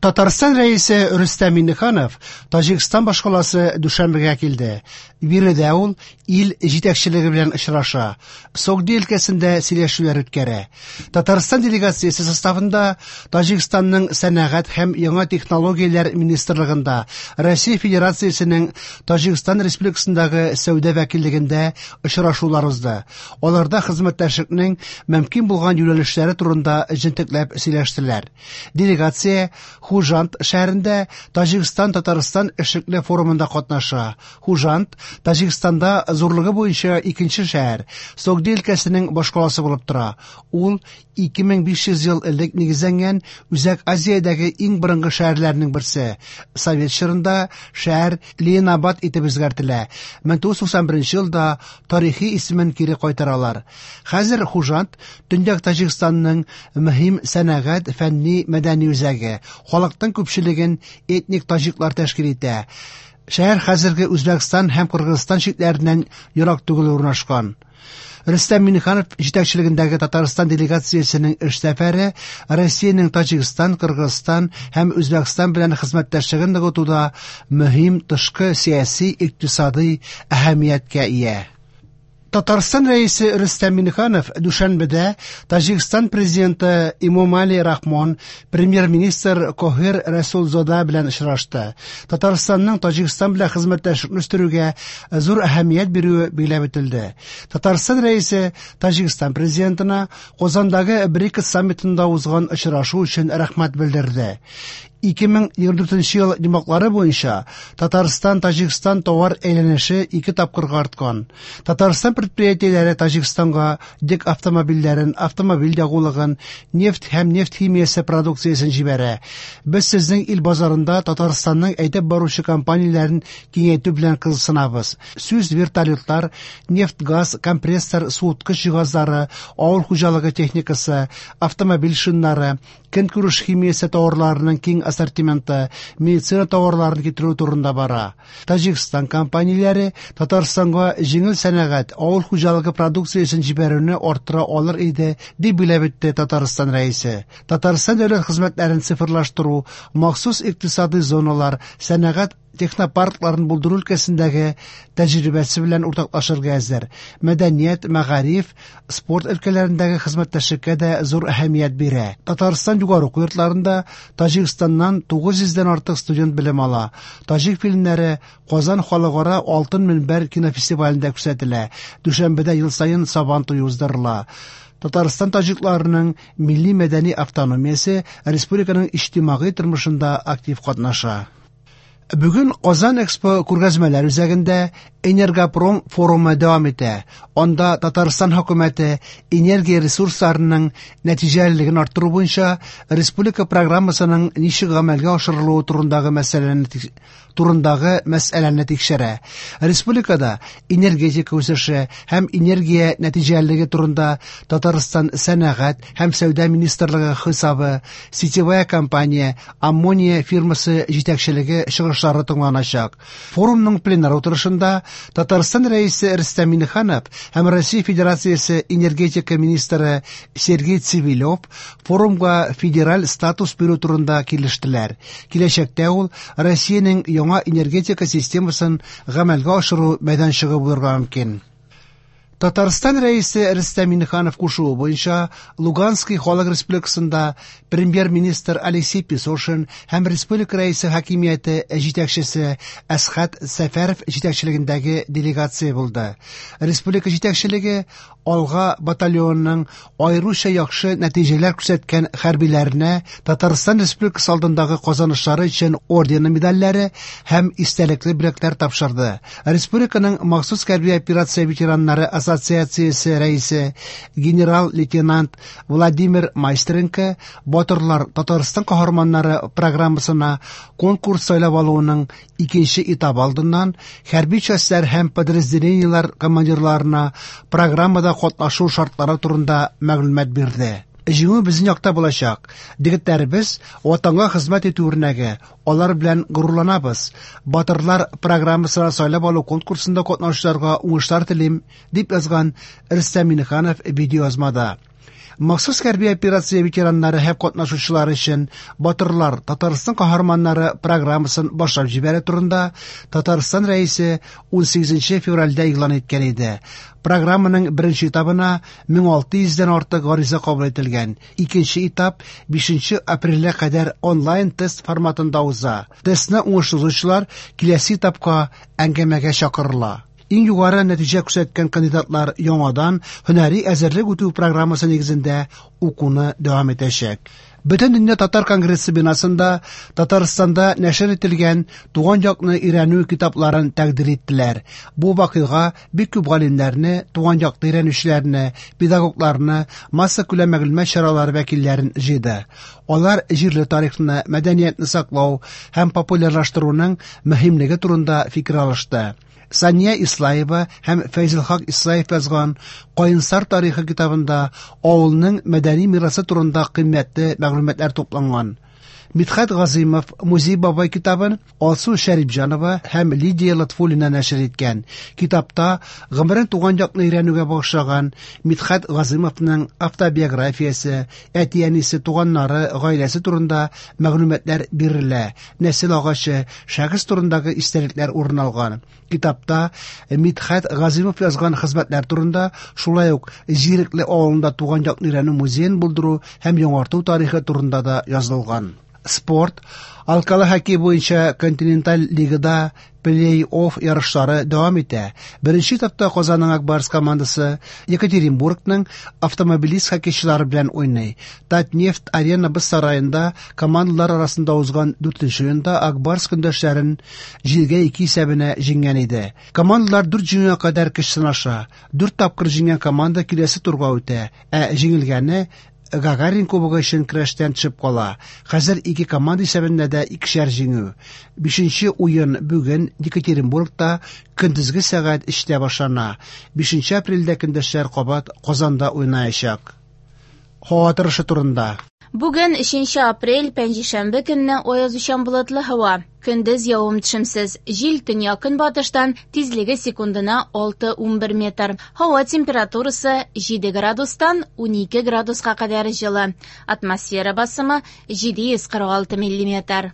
Татарстан Рәисе Рөстәм Миңнеханов Таҗикстан башкаласы Дүшәнбегә килде. Биредә ул ил җитәкчелеге белән очраша, Согди өлкәсендә сөйләшүләр үткәрә. Татарстан делегациясе составында Таҗикстанның сәнәгать һәм яңа технологияләр министрлыгында, Россия Федерациясенең Таҗикстан Республикасындагы сәүдә вәкиллегендә очрашулар узды. Аларда хезмәттәшлекнең мөмкин булган юнәлешләре турында җентекләп сөйләштеләр. Делегация Хужант шәһәрендә Таҗикстан-Татарстан эшлекле форумында катнаша. Хужант Таҗикстанда зурлыгы буенча икенче шәһәр, Согди өлкәсенең башкаласы булып тора. Ул 2500 ел элек нигезләнгән Үзәк Азиядәге иң борынгы шәһәрләрнең берсе. Совет чорында шәһәр Ленинабад итеп үзгәртелә. 1991 елда тарихи исемен кире кайтаралар. Хәзер Хужант Төньяк Таҗикстанның мөһим сәнәгать, фәнни, мәдәни үзәге. Халыкның күпчелеген этник таҗиклар тәшкил итә. Шәһәр хәзерге Үзбәкстан һәм Кыргызстан чикләреннән ерак түгел урнашкан. Рөстәм Миңнеханов җитәкчелегендәге Татарстан делегациясенең эш сәфәре Россиянең Таҗикстан, Кыргызстан һәм Үзбәкстан белән хезмәттәшлеген ныгытуда мөһим тышкы сәяси, икътисадый әһәмияткә ия. Татарстан Рәисе Рөстәм Миңнеханов Дүшәнбедә Таҗикстан президенты Эмомали Рахмон, премьер-министр Кохир Рәсулзода белән очрашты. Татарстанның Таҗикстан белән хезмәттәшлекне үстерүгә зур әһәмият бирүе билгеләп үтелде. Татарстан Рәисе Таҗикстан президентына Казандагы БРИКС саммитында узган очрашу өчен рәхмәт белдерде. 2024 ел йомгаклары буенча Татарстан-Таҗикстан товар әйләнеше ике тапкырга арткан. Татарстан предприятиеләре Таҗикстанга йөк автомобильләрен, автомобиль ягулыгын, нефть һәм нефть химиясе продукциясен җибәрә. Без сезнең ил базарында Татарстанның әйдәп баручы компанияләрен киңәйтү белән кызыксынабыз. Сүз вертолетлар, нефть-газ, компрессор, суыткыч җиһазлары, авыл хуҗалыгы техникасы, автомобиль шиннары, көнкүреш химиясе товарларының киң ассортименты, медицина товарларын китерү турында бара. Таҗикстан компанияләре Татарстанга җиңел сәнәгать, авыл хуҗалыгы продукциясен җибәрүне арттыра алыр иде, дип билгеләп үтте Татарстан Рәисе. Татарстан дәүләт хезмәтләрен цифрлаштыру, махсус икътисадый зоналар, сәнәгать технопаркларын булдыру өлкәсендәге тәҗрибәсе белән уртаклашырга әзер. Мәдәният, мәгариф, спорт өлкәләрендәге хезмәттәшлеккә дә зур әһәмият бирә. Татарстан югары уку йортларында Таҗикстаннан 900 дән артык студент белем ала. Таҗик фильмнары Казан халыкара Алтын мөнбәр кинофестивалендә күрсәтелә. Дүшәнбедә ел саен Сабан туе уздырыла. Татарстан таҗикларының милли-мәдәни автономиясе республиканың иҗтимагый тормышында актив катнаша. Бүген Казан Экспо күргәзмәләр үзәгендә Энергопром форумы дәвам итә. Анда Татарстан хөкүмәте энергия ресурсларының нәтиҗәлелеген арттыру буенча республика программасының ничек гамәлгә ашырылуы турындагы мәсьәләне турындагы мәсьәләне тикшерә. Республикада энергетика үсеше һәм энергия нәтиҗәлелеге турында Татарстан сәнәгать һәм сәүдә министрлыгы хисабы, сетевая компания Аммония фирмасы җитәкчелеге чыгышлары тыңланачак. Форумның пленар утырышында Татарстан Рәисе Рөстәм Миңнеханов һәм Россия Федерациясе энергетика министры Сергей Цивилев форумга федераль статус бирү турында килештеләр. Киләчәктә ул Россиянең яңа энергетика системасын гамәлгә ашыру мәйданчыгы булырга мөмкин. Татарстан Рәисе Рөстәм Миңнеханов кушуы буенча Луганский халык республикасында премьер-министр Алексей Песошин һәм республика Рәисе хакимияте җитәкчесе Әсхәт Сәфәров җитәкчелегендәге делегация булды. Республика җитәкчелеге Алга батальонының аеруча яхшы нәтиҗәләр күрсәткән хәрбиләренә Татарстан Республикасы алдындагы казанышлары өчен ордены медальләре һәм истәлекле бүләкләр тапшырды. Республиканың махсус хәрби операция ветераннары ассоциациясе рәисе генерал-лейтенант Владимир Майстренко Батырлар Татарстан каһарманнары программасына конкурс сайлап алуының икенче этабы алдыннан хәрби частьләр һәм подразделениеләр командирларына программада катнашу шартлары турында мәгълүмат бирде. Җиңү безнең якта булачак. Егетләребез Ватанга хезмәт итү үрнәге, алар белән горурланабыз. Батырлар программасына сайлап алу конкурсында катнашучыларга уңышлар телим, дип язган Рөстәм Миңнеханов видеоязмада. Махсус хәрби операция ветераннары һәм катнашучылары өчен Батырлар Татарстан каһарманнары программасын башлап җибәрү турында Татарстан Рәисе 18 февральдә игълан иткән иде. Программаның беренче этабына 1600 дән артык гариза кабул ителгән. Икенче этап 5 апрельгә кадәр онлайн-тест форматында уза. Тестны уңышлы узучылар киләсе этапка әңгәмәгә чакырыла. Иң югары нәтиҗә күрсәткән кандидатлар яңадан һөнәри әзерлек үтү программасы нигезендә укуны дәвам итәчәк. Бөтендөнья татар конгрессы бинасында Татарстанда нәшер ителгән туган якны өйрәнү китапларын тәкъдир иттеләр. Бу вакыйга бик күп галимнәрне, туган якны өйрәнүчеләрне, педагогларны, массакүләм мәгълүмат чаралары вәкилләрен җыйды. Алар җирле тарихны, мәдәниятне саклау һәм популярлаштыруның мөһимлеге турында фикер алышты. Сания Ислаева һәм Фәйзелхак Ислаев язган Каенсар тарихы китабында авылның мәдәни мирасы турында кыйммәтле мәгълүматлар тупланган. Мидхәт Газыймов Музей бабай китабын Алсу Шәрипҗанова һәм Лидия Лотфуллина нәшер иткән. Китапта гомерен туган якны өйрәнүгә багышлаган Мидхәт Газыймовның автобиографиясе, әти-әнисе, туганнары, гаиләсе турында мәгълүматлар бирелә, нәсел агачы, шәхес турындагы истәлекләр урын алган. Китапта Мидхәт Газыймов язган хезмәтләр турында, шулай ук Зирекле авылында туган якны өйрәнү музеен булдыру һәм яңарту тарихы турында да язылган. Спорт. Алкалы хоккей буенча континенталь лигада плей-офф ярышлары дәвам итә. Беренче этапта Казанның Ак Барс командасы Екатеринбургның Автомобилист хоккейчылары белән уйный. Татнефть Арена боз сараенда командалар арасында узган дүртенче уенда Ак Барс көндәшләрен 7-2 исәбенә җиңгән иде. Командалар дүрт җиңүгә кадәр көч сынаша. Дүрт тапкыр җиңгән команда киләсе турга үтә, ә җиңелгәне Гагарин кубогы өчен көрәштән төшеп кала. Хәзер ике команда исәбендә дә икешәр җиңү. Бишенче уен бүген Екатеринбургта көндезге сәгать 3тә башлана. 5 апрельдә көндәшләр кабат Казанда уйнаячак. Һава торышы турында. Бүген 3 апрель, пәнҗешәмбе көнне аязучан болытлы һава. Көндез явым-төшемсез. Җил төньяк-көнбатыштан, тизлеге секундына 6-11 метр. Һава температурасы 7 градустан 12 градуска кадәр җылы. Атмосфера басымы 746 миллиметр.